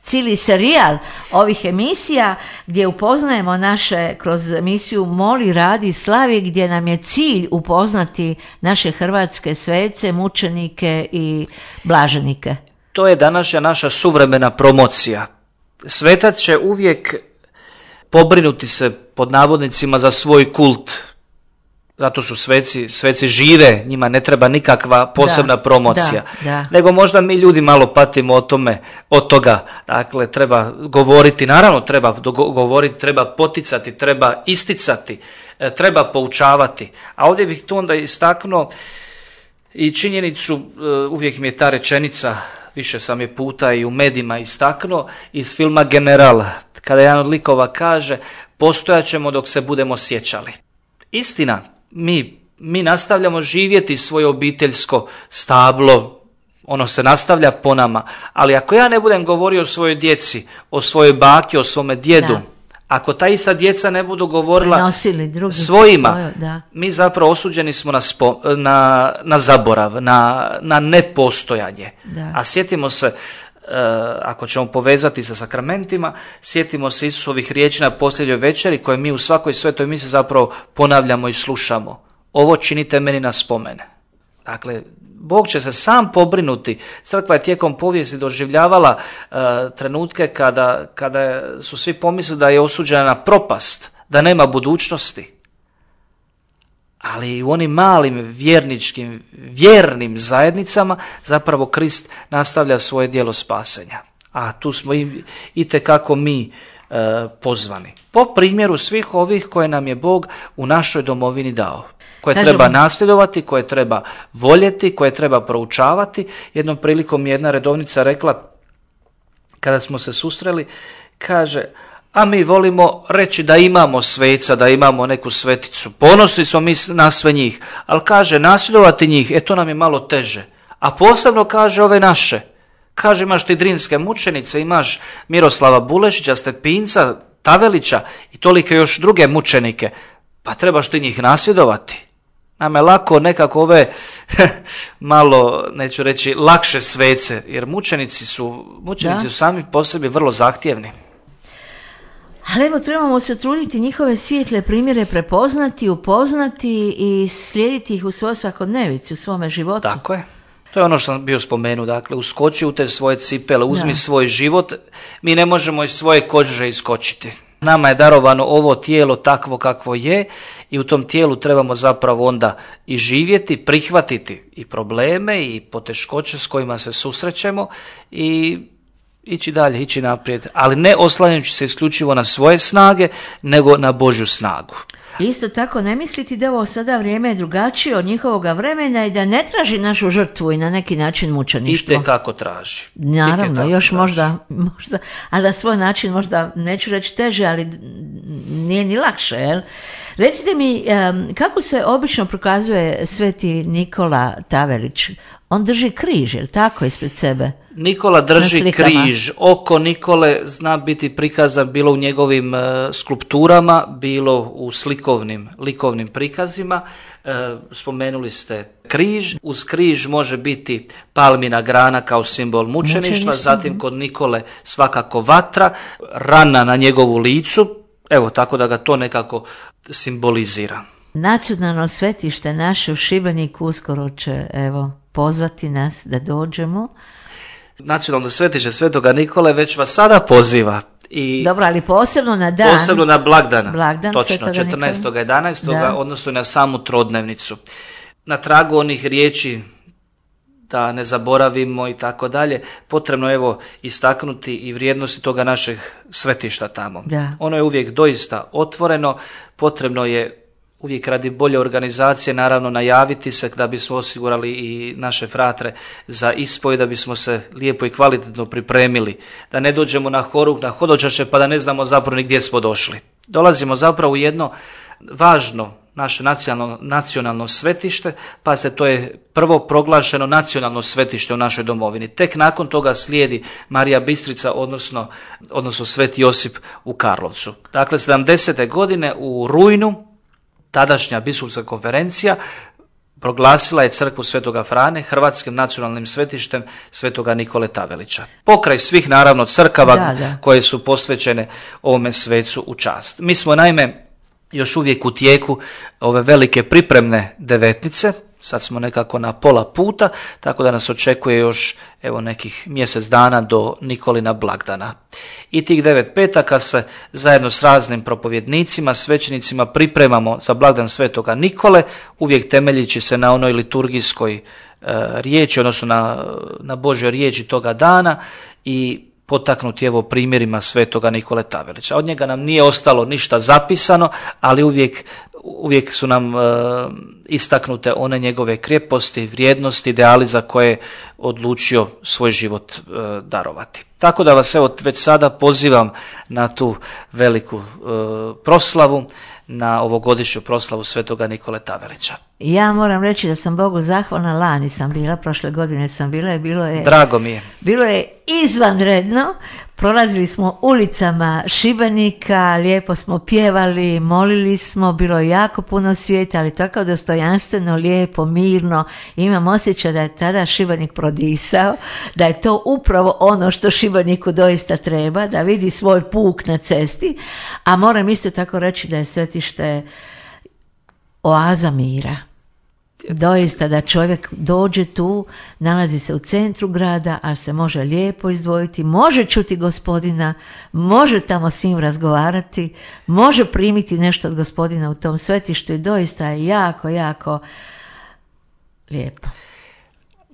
cijeli serijal ovih emisija gdje upoznajemo naše, kroz emisiju Moli, radi, slavi, gdje nam je cilj upoznati naše hrvatske svece, mučenike i blaženike. To je današnja naša suvremena promocija. Svetac će uvijek pobrinuti se, pod navodnicima, za svoj kult. Zato su sveci žive, njima ne treba nikakva posebna promocija. Nego možda mi ljudi malo patimo od toga. Dakle, treba govoriti, naravno treba govoriti, treba poticati, treba isticati, treba poučavati. A ovdje bih tu onda istaknuo i činjenicu, uvijek mi je ta rečenica više sam je puta i u medijima istaknuo, iz filma General, kada jedan od likova kaže postojat ćemo dok se budemo sjećali. Istina, mi nastavljamo živjeti svoje obiteljsko stablo, ono se nastavlja po nama, ali ako ja ne budem govorio o svojoj djeci, o svojoj baki, o svome djedu, ako ta ista djeca ne budu govorila svojima, mi zapravo osuđeni smo na zaborav, na nepostojanje. Da. A sjetimo se, ako ćemo povezati sa sakramentima, sjetimo se Isusovih riječi na posljednjoj večeri koje mi u svakoj svetoj misi zapravo ponavljamo i slušamo. Ovo činite meni na spomene. Dakle, Bog će se sam pobrinuti. Crkva je tijekom povijesti doživljavala trenutke kada su svi pomislili da je osuđena na propast, da nema budućnosti. Ali u onim malim vjernim zajednicama zapravo Krist nastavlja svoje djelo spasenja. A tu smo itekako mi pozvani. Po primjeru svih ovih koje nam je Bog u našoj domovini dao. Koje treba nasljedovati, koje treba voljeti, koje treba proučavati. Jednom prilikom je jedna redovnica rekla, kada smo se susreli, kaže, a mi volimo reći da imamo sveca, da imamo neku sveticu. Ponosni smo mi na sve njih, ali kaže, nasljedovati njih, to nam je malo teže. A posebno kaže ove naše. Kaže, imaš ti Drinske mučenice, imaš Miroslava Bulešića, Stepinca, Tavelića i tolike još druge mučenike. Pa trebaš ti njih nasljedovati. Nam je lako nekako ove malo, neću reći, lakše svece, jer mučenici su sami po sebi vrlo zahtjevni. Ali evo, trebamo se truditi njihove svijetle primjere prepoznati, upoznati i slijediti ih u svojoj svakodnevici, u svome životu. Tako je. To je ono što sam bio spomenuo, dakle, uskoči u te svoje cipele, uzmi svoj život, mi ne možemo iz svoje kože iskočiti. Nama je darovano ovo tijelo takvo kakvo je i u tom tijelu trebamo zapravo onda i živjeti, prihvatiti i probleme i poteškoće s kojima se susrećemo i ići dalje, ići naprijed, ali ne oslanjajući se isključivo na svoje snage, nego na Božju snagu. Isto tako ne misliti da ovo sada vrijeme je drugačije od njihovoga vremena i da ne traži našu žrtvu i na neki način mučeništvo. Itekako traži. Naravno, još možda, ali na svoj način možda, neću reći teže, ali nije ni lakše, jel? Recite mi, kako se obično prokazuje sveti Nikola Tavelić? On drži križ, jel tako, ispred sebe? Nikola drži križ. Oko Nikole zna biti prikazan bilo u njegovim skulpturama, bilo u likovnim prikazima. Spomenuli ste križ. Uz križ može biti palmina grana kao simbol mučeništva, zatim kod Nikole svakako vatra, rana na njegovu licu, evo tako da ga to nekako simbolizira. Nacionalno svetište naše u Šibeniku uskoro će, pozvati nas da dođemo. Nacionalno svetište Svetoga Nikole već vas sada poziva. Dobro, ali posebno na dan. Posebno na blagdan točno, 14.11. odnosno na samu trodnevnicu. Na tragu onih riječi da ne zaboravimo i tako dalje, potrebno je istaknuti i vrijednosti toga našeg svetišta tamo. Da. Ono je uvijek doista otvoreno, potrebno je uvijek radi bolje organizacije naravno najaviti se da bismo osigurali i naše fratre za ispoj, da bismo se lijepo i kvalitetno pripremili, da ne dođemo na horuk, na hodočaše pa da ne znamo zapravo ni gdje smo došli. Dolazimo zapravo u jedno važno naše nacionalno svetište, pa to je prvo proglašeno nacionalno svetište u našoj domovini. Tek nakon toga slijedi Marija Bistrica, odnosno Sveti Josip u Karlovcu. Dakle, 70. godine u rujnu tadašnja biskupska konferencija proglasila je crkvu Svetoga Frane hrvatskim nacionalnim svetištem Svetoga Nikole Tavelića. Pokraj svih naravno crkava koje su posvećene ovome svecu u čast. Mi smo naime još uvijek u tijeku ove velike pripremne devetnice, sad smo nekako na pola puta, tako da nas očekuje još nekih mjesec dana do Nikolina blagdana. I tih 9 petaka se zajedno s raznim propovjednicima, svećenicima pripremamo za blagdan Svetoga Nikole, uvijek temeljići se na onoj liturgijskoj riječi, odnosno na Božjoj riječi toga dana i potaknuti primjerima Svetoga Nikole Tavelića. Od njega nam nije ostalo ništa zapisano, ali uvijek uvijek su nam istaknute one njegove krijeposti, vrijednosti, ideali za koje odlučio svoj život darovati. Tako da vas evo već sada pozivam na tu veliku proslavu, na ovogodišnju proslavu Svetoga Nikole Tavelića. Ja moram reći da sam Bogu zahvalna, lani sam bila, prošle godine sam bila i bilo je... Drago mi je. Bilo je izvanredno, prolazili smo ulicama Šibenika, lijepo smo pjevali, molili smo, bilo je jako puno svijeta, ali tako dostojanstveno, lijepo, mirno. Imam osjećaj da je tada Šibenik prodisao, da je to upravo ono što Šibeniku doista treba, da vidi svoj puk na cesti, a moram isto tako reći da je svetište oaza mira. Doista da čovjek dođe tu, nalazi se u centru grada, ali se može lijepo izdvojiti, može čuti Gospodina, može tamo s njim razgovarati, može primiti nešto od Gospodina u tom svetištu i doista je jako, jako lijepo.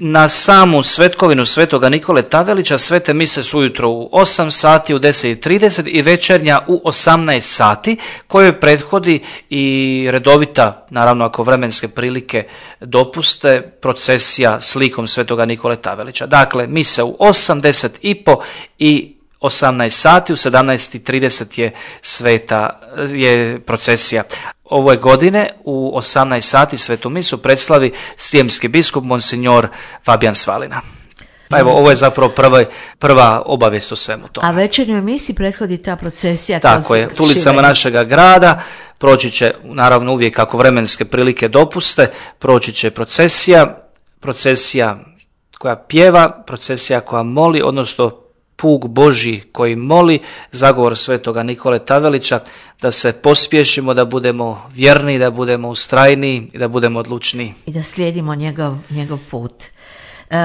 Na samu svetkovinu Svetoga Nikole Tavelića svete mise su ujutro u 8 sati, u 10:30 i večernja u 18 sati, kojoj prethodi i redovita, naravno ako vremenske prilike dopuste, procesija s likom Svetoga Nikole Tavelića. Dakle, mise u 8, 10:30 i 18 sati, u 17:30 je procesija. Ove godine u 18 sati svetu misu predslavi srijemski biskup monsignor Fabijan Svalina. Pa evo, ovo je zapravo prva obavijest o svemu tome. A večernjoj misi prethodi ta procesija? Tako je, ulicama našega grada proći će, naravno uvijek kako vremenske prilike dopuste, proći će procesija koja pjeva, procesija koja moli, odnosno puk Božji koji moli, zagovor Svetoga Nikole Tavelića, da se pospješimo, da budemo vjerni, da budemo ustrajniji i da budemo odlučni. I da slijedimo njegov put.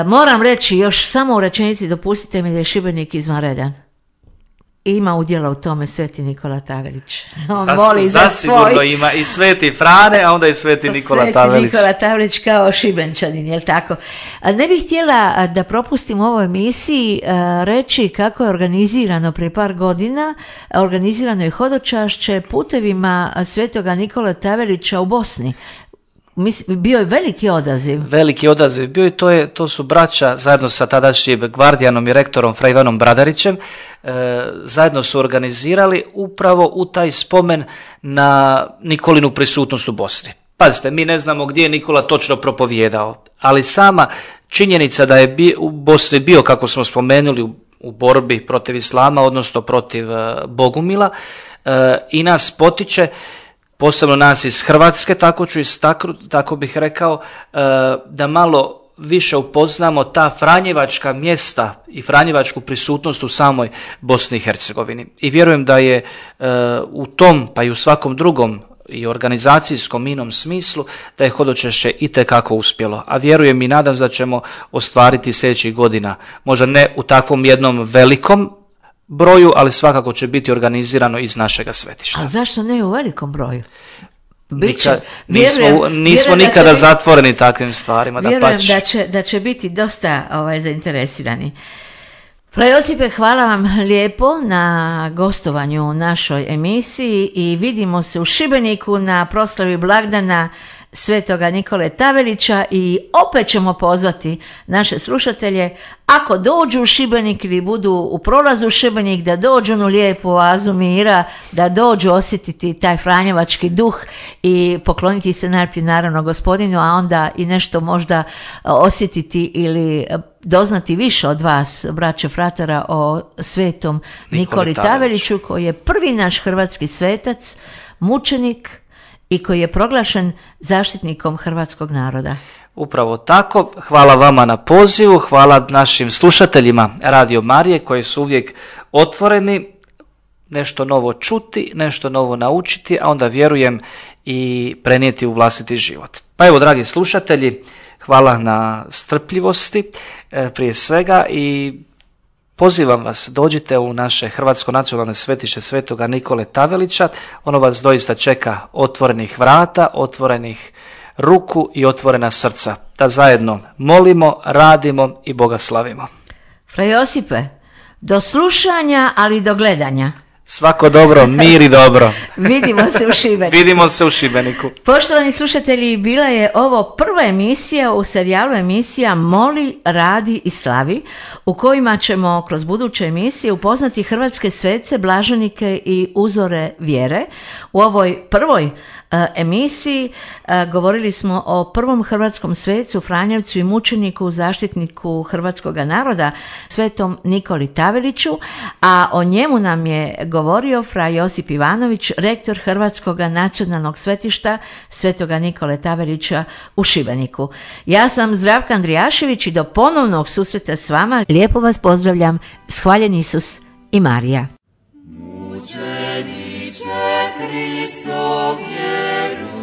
Moram reći još samo u rečenici, dopustite mi da je Šibenik izvanredan. Ima udjela u tome Sveti Nikola Tavelić. On voli zasigurno ima i Sveti Frane, a onda i Sveti Nikola Tavelić. Sveti Nikola Tavelić kao Šibenčanin, jel tako? Ne bih htjela da propustim u ovoj emisiji reći kako je organizirano prije par godina, organizirano je hodočašće putevima Svetoga Nikola Tavelića u Bosni. Bio je veliki odaziv. Veliki odaziv bio i to su braća zajedno sa tadašnjim gvardijanom i rektorom Fra Ivanom Bradarićem, zajedno su organizirali upravo u taj spomen na Nikolinu prisutnost u Bosni. Pazite, mi ne znamo gdje je Nikola točno propovijedao, ali sama činjenica da je u Bosni bio, kako smo spomenuli, u borbi protiv islama, odnosno protiv Bogumila, i nas potiče, posebno nas iz Hrvatske, tako bih rekao, da malo više upoznamo ta franjevačka mjesta i franjevačku prisutnost u samoj Bosni i Hercegovini. I vjerujem da je u tom, pa i u svakom drugom i organizacijskom inom smislu, da je hodočašće itekako uspjelo. A vjerujem i nadam se da ćemo ostvariti sljedećih godina. Možda ne u takvom jednom velikom broju, ali svakako će organizirano iz našega svetišta. A zašto ne u velikom broju? Nismo nikada zatvoreni takvim stvarima. Vjerujem da će biti dosta zainteresirani. Fra Josipe, hvala vam lijepo na gostovanju u našoj emisiji i vidimo se u Šibeniku na proslavi blagdana Svetoga Nikole Tavelića i opet ćemo pozvati naše slušatelje, ako dođu u Šibenik ili budu u prolazu u Šibenik, da dođu u lijepu oazu mira, da dođu osjetiti taj franjevački duh i pokloniti se najprije naravno Gospodinu, a onda i nešto možda osjetiti ili doznati više od vas, braće fratara, o Svetom Nikoli Taveliću, koji je prvi naš hrvatski svetac, mučenik i koji je proglašen zaštitnikom hrvatskog naroda. Upravo tako. Hvala vama na pozivu, hvala našim slušateljima Radio Marije koji su uvijek otvoreni nešto novo čuti, nešto novo naučiti, a onda vjerujem i prenijeti u vlastiti život. Pa evo, dragi slušatelji, hvala na strpljivosti prije svega i pozivam vas, dođite u naše Hrvatsko nacionalno svetište Svetoga Nikole Tavelića. Ono vas doista čeka otvorenih vrata, otvorenih ruku i otvorena srca. Da zajedno molimo, radimo i Boga slavimo. Fra Josipe, do slušanja, ali do gledanja. Svako dobro, mir i dobro. Vidimo se u Šibeniku. Poštovani slušatelji, bila je ovo prva emisija u serijalu emisija Moli, radi i slavi, u kojima ćemo kroz buduće emisije upoznati hrvatske svece, blaženike i uzore vjere. U ovoj prvoj emisiji govorili smo o prvom hrvatskom svecu, Franjevcu i mučeniku, zaštitniku hrvatskoga naroda, svetom Nikoli Taveliću, a o njemu nam je govorio fra Josip Ivanović, rektor Hrvatskoga nacionalnog svetišta svetoga Nikole Tavelića u Šibeniku. Ja sam Zdravka Andrijašević i do ponovnog susreta s vama lijepo vas pozdravljam. Hvaljen Isus i Marija. Mučeniče Hristov Jeruzalemski,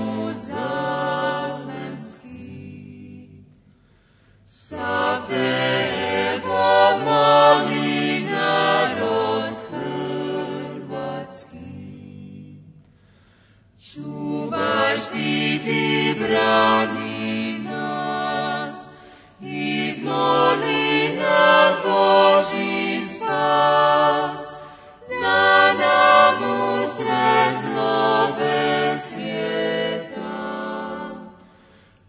sav tebo moli narod hrvatski, čuvaj, štiti, brani nas, izmoli nam Božji spas, da nam usred zlobe svijeta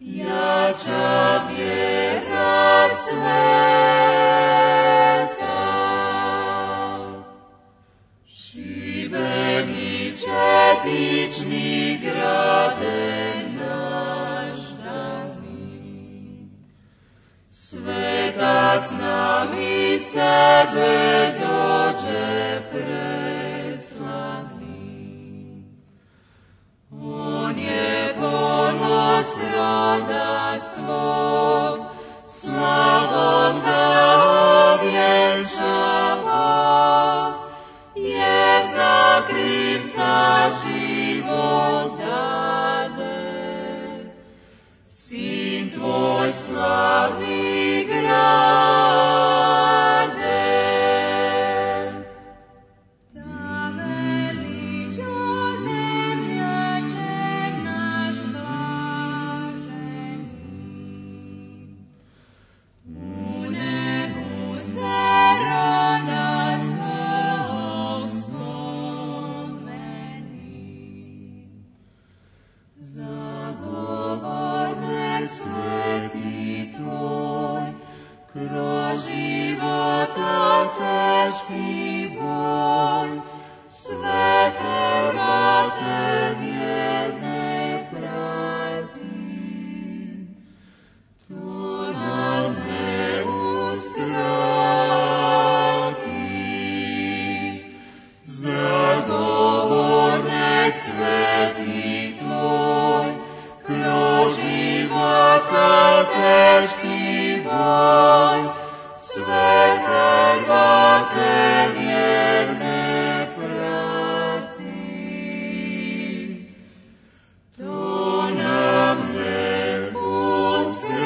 jača vjera sveta. Šibeniče, dični grade naš davni, svetac nam iz tebe dođe preslavni. On je ponos roda svog, slavom ga ovjenčava, jer za Krista život dade, sin tvoj slavni grade. Taveliću zemljače naš blaženi, u nebu se roda svog spomeni, zagovornik sveti tvoj, kroz života teški boj, sve Hrvate vjerne prati, to nam ne uskrati. Zagovornik sveti tvoj, kroz života teški boj, sve Hrvate vjerne prati, to nam ne uskrati.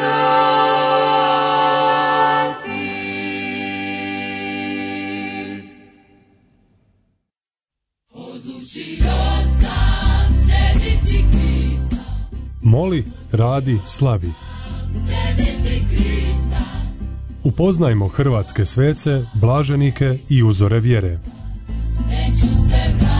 Odlučio sam slijediti Krista. Moli, radi, slavi. Slijediti Krista. Upoznajmo hrvatske svece, blaženike i uzore vjere. Neću se vratiti.